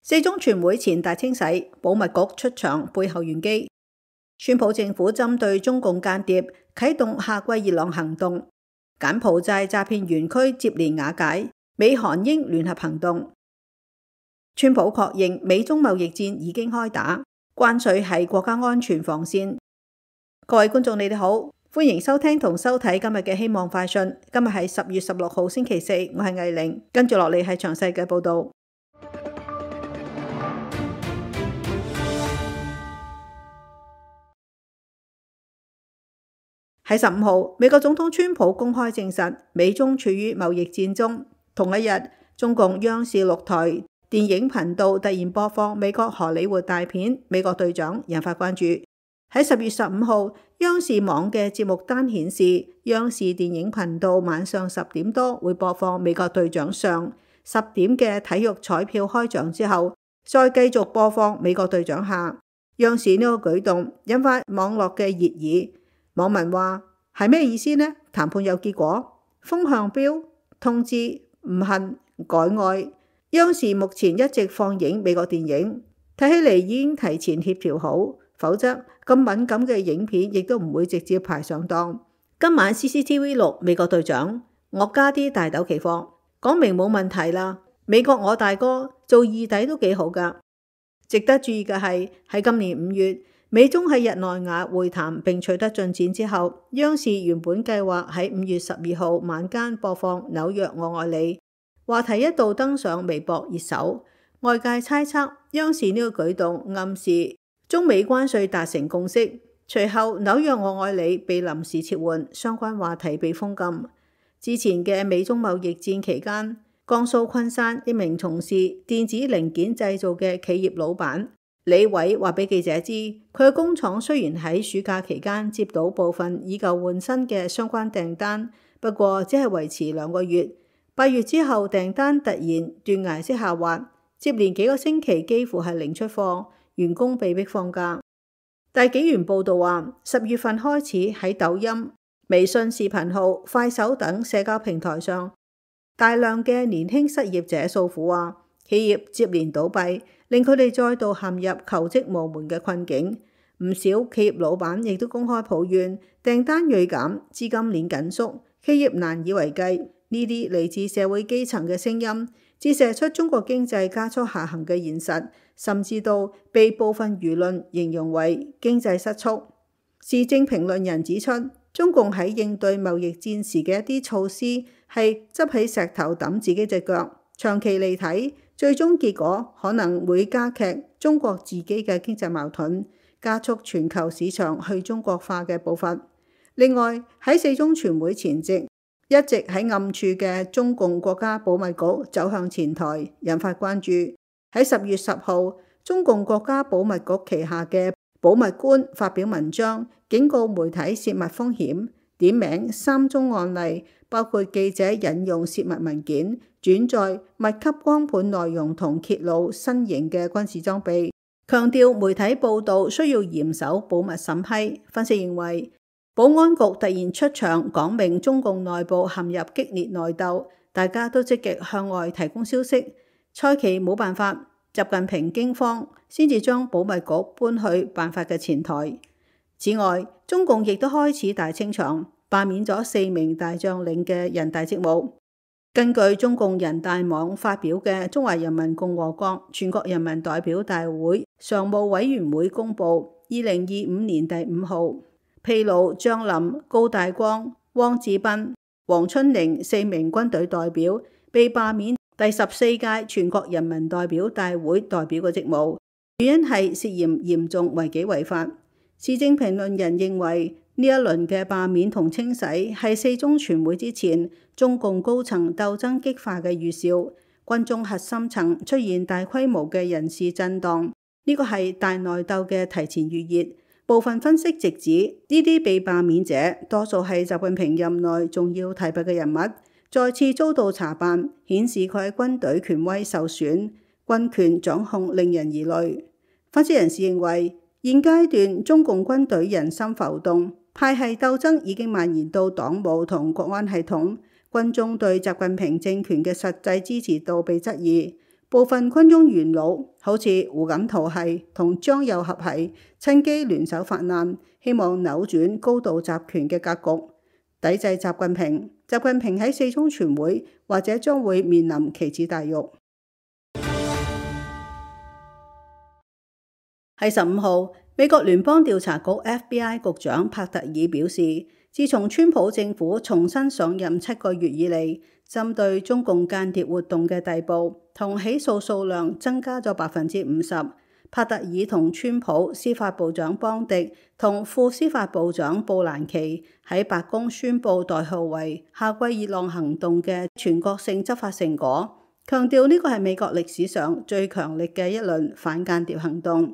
四中全會前大清洗，保密局出場背後玄機。川普政府針對中共間諜啟動夏季熱浪行動，柬埔寨詐騙園區接連瓦解，美韓英聯合行動。川普確認美中貿易戰已經開打，關稅係國家安全防線。各位觀眾你哋好，歡迎收聽同收睇今日嘅希望快訊。今日係10月16號星期四，我係藝玲，跟住落嚟係詳細嘅報道。喺15號，美國總統川普公開證實美中處於貿易戰中。同一日，中共央視6台電影頻道突然播放美國荷里活大片《美國隊長》，引發關注。喺10月15號，央視網嘅節目單顯示，央視電影頻道晚上10點多會播放《美國隊長上》，10點嘅體育彩票開獎之後，再繼續播放《美國隊長下》。央視呢個舉動引發網絡嘅熱議。網民話係咩意思呢？談判有結果，風向標，通知唔恨改愛。央視目前一直放映美國電影，睇起嚟已經提前協調好，否則咁敏感嘅影片亦都唔會直接排上檔。今晚 CCTV6 美國隊長，我加啲大豆期貨，講明冇問題啦。美國我大哥做二弟都幾好噶。值得注意嘅係喺今年5月。美中喺日內瓦會談並取得進展之後，央視原本計劃喺5月12號晚間播放《紐約我愛你》，話題一度登上微博熱搜。外界猜測央視呢個舉動暗示中美關稅達成共識，隨後《紐約我愛你》被臨時撤換，相關話題被封禁。之前嘅美中貿易戰期間，江蘇昆山一名從事電子零件製造嘅企業老闆李偉話俾記者知，佢嘅工廠雖然喺暑假期間接到部分以舊換新嘅相關訂單，不過只係維持2個月。8月之後訂單突然斷崖式下滑，接連幾個星期幾乎係零出貨，員工被迫放假。大紀元報道話，10月份開始喺抖音、微信視頻號、快手等社交平台上，大量嘅年輕失業者訴苦話，企業接連倒閉，令佢哋再度陷入求職無門嘅困境。唔少企業老闆亦都公開抱怨訂單銳減、資金鏈緊縮，企業難以為繼。呢啲嚟自社會基層嘅聲音，折射出中國經濟加速下行嘅現實，甚至到被部分輿論形容為經濟失速。時政評論人指出，中共喺應對貿易戰時嘅一啲措施係執起石頭揼自己隻腳，長期嚟睇，最終結果可能會加劇中國自己嘅經濟矛盾，加速全球市場去中國化嘅步伐。另外，喺四中全會前夕，一直喺暗處嘅中共國家保密局走向前台，引發關注。喺10月10號，中共國家保密局旗下嘅保密官發表文章，警告媒體泄密風險，點名3宗案例，包括記者引用泄密文件、轉載密級光盤內容同揭露新型嘅軍事裝備，強調媒體報道需要嚴守保密審批。分析認為，保安局突然出場講明中共內部陷入激烈內鬥，大家都積極向外提供消息，蔡奇冇辦法，習近平驚慌，先至將保密局搬去辦法嘅前台。此外，中共亦都開始大清場，罷免咗4名大將領嘅人大職務。根據中共人大網發表嘅《中華人民共和國全國人民代表大會常務委員會公報》2025年第5號，披露張林、高大光、汪志斌、黃春寧4名軍隊代表被罷免第14屆全國人民代表大會代表嘅職務，原因係涉嫌嚴重違紀違法。時政評論人認為，呢一輪嘅罷免同清洗係四中全會之前中共高層鬥爭激化嘅預兆，軍中核心層出現大規模嘅人事震盪，呢個係大內鬥嘅提前預熱。部分分析直指，呢啲被罷免者多數係習近平任內重要提拔嘅人物，再次遭到查辦，顯示佢喺軍隊權威受損，軍權掌控令人疑慮。分析人士認為，現階段中共軍隊人心浮動，派系鬥爭已經蔓延到黨務同國安系統，軍中對習近平政權嘅實際支持度被質疑，部分軍中元老好似胡錦濤系同張又俠系，趁機聯手發難，希望扭轉高度集權嘅格局，抵制習近平。習近平喺四中全會或者將會面臨棋子大獄。喺15號，美國聯邦調查局 FBI 局長帕特爾表示，自從川普政府重新上任7個月以嚟，針對中共間諜活動嘅逮捕同起訴數量增加咗50%。帕特爾同川普司法部長邦迪同副司法部長布蘭奇喺白宮宣布代號為夏季熱浪行動嘅全國性執法成果，強調呢個係美國歷史上最強力嘅一輪反間諜行動。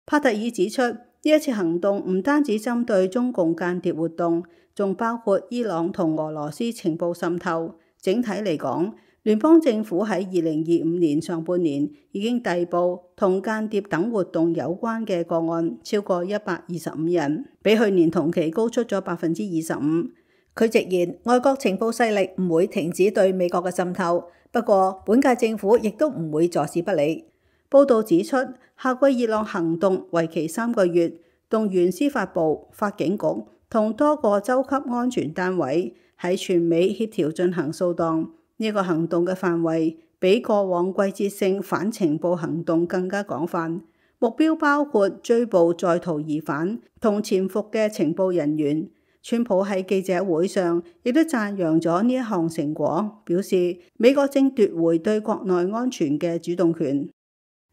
帕特爾指出，呢一次行動唔單止針對中共間諜活動，仲包括伊朗同俄羅斯情報滲透。整體嚟講，聯邦政府喺2025年上半年已經逮捕同間諜等活動有關嘅個案超過125人，比去年同期高出咗25%。佢直言，外國情報勢力唔會停止對美國嘅滲透，不過本屆政府亦都唔會坐視不理。報道指出，夏季熱浪行動為期3個月，動員司法部、法警局同多個州級安全單位喺全美協調進行掃蕩。呢個行動嘅範圍比過往季節性反情報行動更加廣泛，目標包括追捕在逃疑犯同潛伏嘅情報人員。川普喺記者會上亦都讚揚咗呢一項成果，表示美國正奪回對國內安全嘅主動權。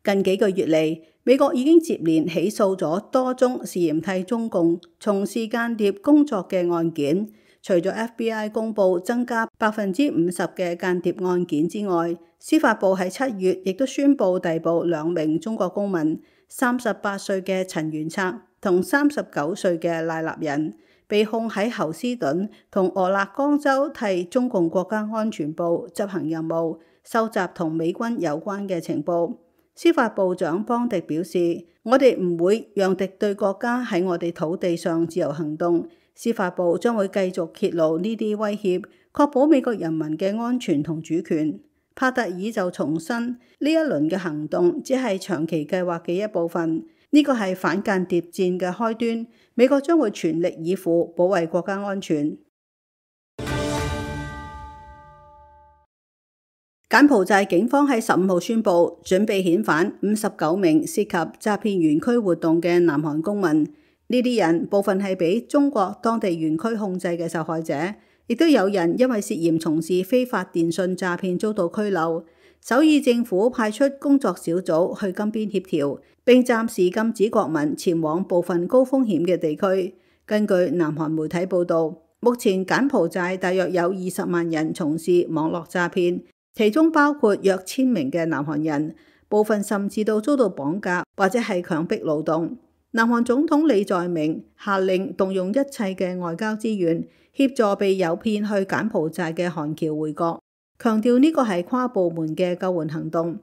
近幾個月嚟，美國已經接連起訴咗多宗涉嫌替中共從事間諜工作嘅案件。除咗 FBI 公佈增加50%嘅間諜案件之外，司法部喺7月亦都宣布逮捕2名中國公民，38歲嘅陳元策同39歲嘅賴立人，被控喺侯斯頓同俄勒岡州替中共國家安全部執行任務，收集同美軍有關嘅情報。司法部長邦迪表示，我哋唔會讓敵對國家喺我哋土地上自由行動。司法部將會繼續揭露呢啲威脅，確保美國人民嘅安全同主權。帕特爾就重申，呢一輪嘅行動只係長期計劃嘅一部分，呢個係反間諜戰嘅開端。美國將會全力以赴保衛國家安全。柬埔寨警方喺15號宣布，準備遣返59名涉及詐騙園區活動嘅南韓公民。呢啲人部分係俾中國當地園區控制嘅受害者，亦都有人因為涉嫌從事非法電信詐騙遭到拘留。首爾政府派出工作小組去金邊協調，並暫時禁止國民前往部分高風險嘅地區。根據南韓媒體報導，目前柬埔寨大約有20萬人從事網絡詐騙，其中包括約1000名嘅南韓人，部分甚至都遭到綁架或者係強迫勞動。南韓總統李在明下令動用一切嘅外交資源，協助被誘騙去柬埔寨嘅韓僑回國，強調呢個係跨部門嘅救援行動。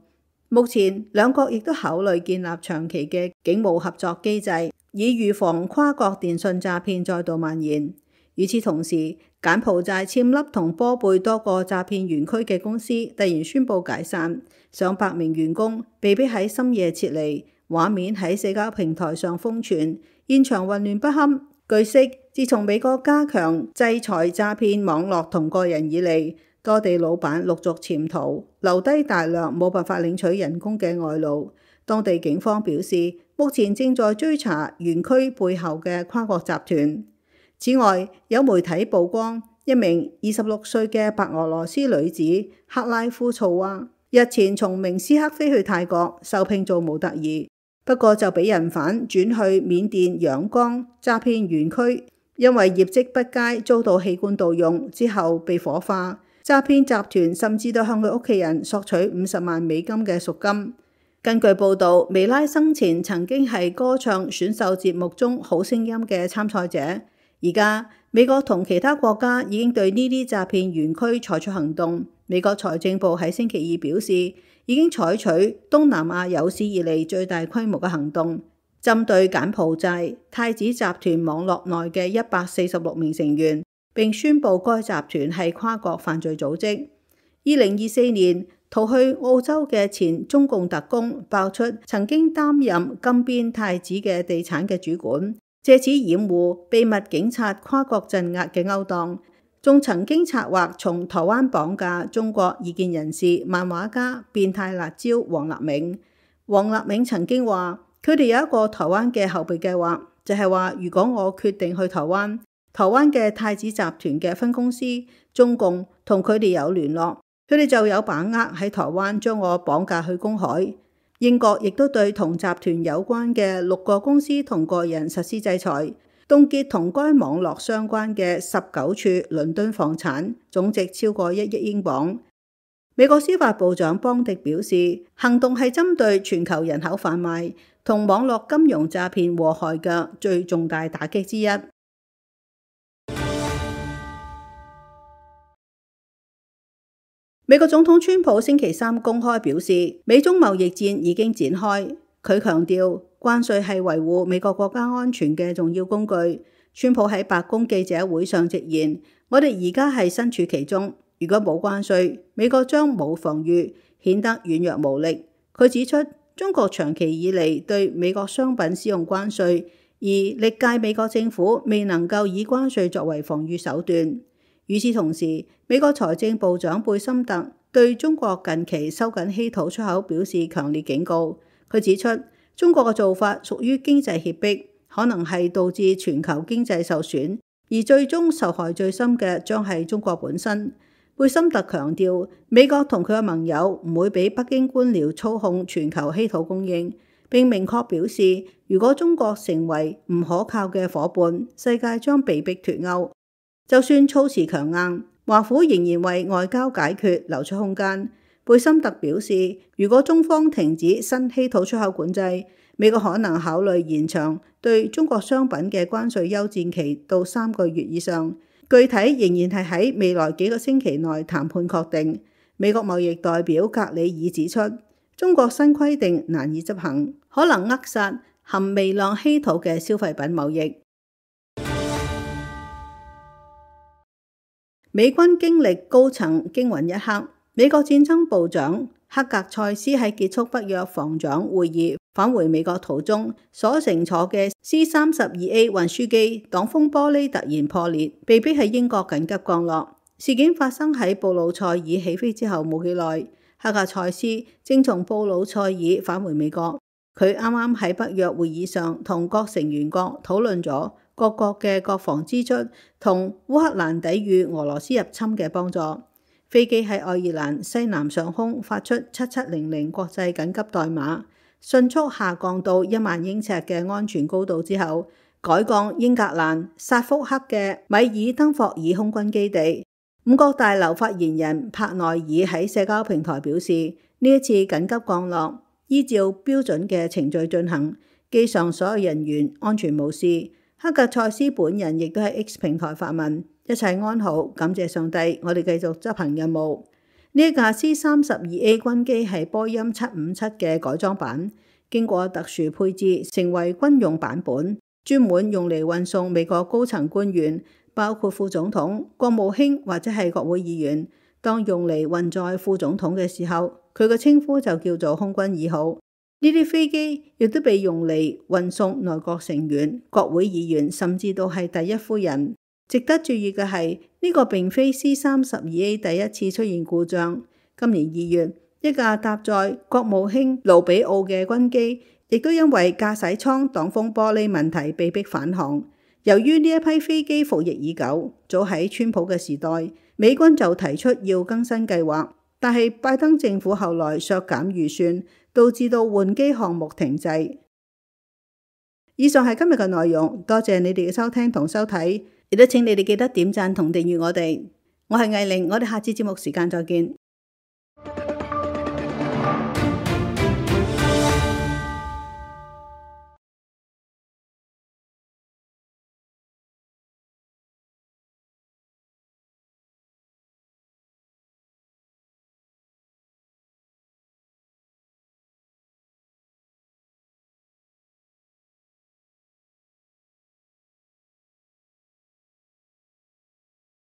目前兩國亦都考慮建立長期嘅警務合作機制，以預防跨國電信詐騙再度蔓延。與此同時，柬埔寨暹粒同波貝多個詐騙園區嘅公司突然宣布解散，上百名員工被迫喺深夜撤離。畫面喺社交平台上瘋傳，現場混亂不堪。據悉，自從美國加強制裁詐騙網絡同個人以嚟，多地老闆陸續潛逃，留低大量冇辦法領取人工嘅外勞。當地警方表示，目前正在追查園區背後嘅跨國集團。此外，有媒體曝光一名26歲嘅白俄羅斯女子克拉夫措娃，日前從明斯克飛去泰國，受聘做模特兒。不過就俾人販轉去緬甸仰光詐騙園區，因為業績不佳遭到器官盜用，之後被火化。詐騙集團甚至都向佢屋企人索取50萬美金嘅贖金。根據報導，薇拉生前曾經係歌唱選秀節目中好聲音嘅參賽者。而家美國同其他國家已經對呢啲詐騙園區採取行動。美國財政部喺星期二表示，已經採取東南亞有史以嚟最大規模嘅行動，針對柬埔寨太子集團網絡內嘅146名成員，並宣布該集團係跨國犯罪組織。2024年，逃去澳洲嘅前中共特工爆出曾經擔任金邊太子嘅地產嘅主管，借此掩護秘密警察跨國鎮壓嘅勾當，仲曾經策劃從台灣綁架中國異見人士、漫畫家、變態辣椒王立銘。王立銘曾經話，佢哋有一個台灣嘅後備計劃，就係話如果我決定去台灣，台灣嘅太子集團嘅分公司中共同佢哋有聯絡，佢哋就有把握喺台灣將我綁架去公海。英國亦都對同集團有關嘅6個公司同個人實施制裁，凍結同該網絡相關嘅19處倫敦房產，總值超過1億英鎊。美國司法部長邦迪表示，行動係針對全球人口販賣同網絡金融詐騙禍害嘅最重大打擊之一。美國總統川普星期三公開表示，美中貿易戰已經展開。佢強調，關稅係維護美國國家安全嘅重要工具。川普喺白宮記者會上直言，我哋而家係身處其中。如果冇關稅，美國將冇防禦，顯得軟弱無力。佢指出，中國長期以嚟對美國商品使用關稅，而歷屆美國政府未能夠以關稅作為防禦手段。與此同時，美國財政部長貝森特對中國近期收緊稀土出口表示強烈警告。佢指出，中國嘅做法屬於經濟脅迫，可能係導致全球經濟受損，而最終受害最深嘅將係中國本身。貝森特強調，美國同佢嘅盟友唔會俾北京官僚操控全球稀土供應，並明確表示，如果中國成為唔可靠嘅夥伴，世界將被迫脫鈎。就算措辭強硬，華府仍然為外交解決留出空間。貝森特表示，如果中方停止新稀土出口管制，美國可能考慮延長對中國商品嘅關稅休戰期到3個月以上。具體仍然係喺未來幾個星期內談判確定。美國貿易代表格里爾指出，中國新規定難以執行，可能扼殺含微量稀土嘅消費品貿易。美軍經歷高層驚魂一刻，美國戰爭部長克格塞斯喺結束北約防長會議返回美國途中，所乘坐嘅 C-32A 運輸機擋風玻璃突然破裂，被迫喺英國緊急降落。事件發生喺布魯塞爾起飛之後冇幾耐，克格塞斯正從布魯塞爾返回美國。佢啱啱喺北約會議上同各成員國討論咗各國嘅國防支出同烏克蘭抵禦俄羅斯入侵嘅幫助。飛機喺愛爾蘭西南上空發出7700國際緊急代碼，迅速下降到1萬英尺嘅安全高度之後，改降英格蘭薩福克嘅米爾登霍爾空軍基地。五角大樓發言人帕內爾喺社交平台表示，呢一次緊急降落依照標準嘅程序進行，機上所有人員安全無事。克格塞斯本人亦都喺 X 平台發文，一切安好，感謝上帝，我哋繼續執行任務。呢一架 C-32A 軍機係波音757嘅改裝版，經過特殊配置成為軍用版本，專門用嚟運送美國高層官員，包括副總統、國務卿或者係國會議員。當用嚟運載副總統嘅時候，佢嘅稱呼就叫做空軍2號。呢啲飛機亦都被用嚟運送內閣成員、國會議員，甚至到係第一夫人。值得注意嘅係，呢個並非 C-32A 第一次出現故障。今年2月，一架搭載國務卿盧比奧嘅軍機，亦都因為駕駛艙擋風玻璃問題被迫返航。由於呢一批飛機服役已久，早喺川普嘅時代，美軍就提出要更新計劃，但係拜登政府後來削減預算，導致到換機項目停滯。以上係今日嘅內容，多謝你哋嘅收聽同收睇，亦都請你哋記得點讚同訂閱我哋。我係藝玲，我哋下次節目時間再見。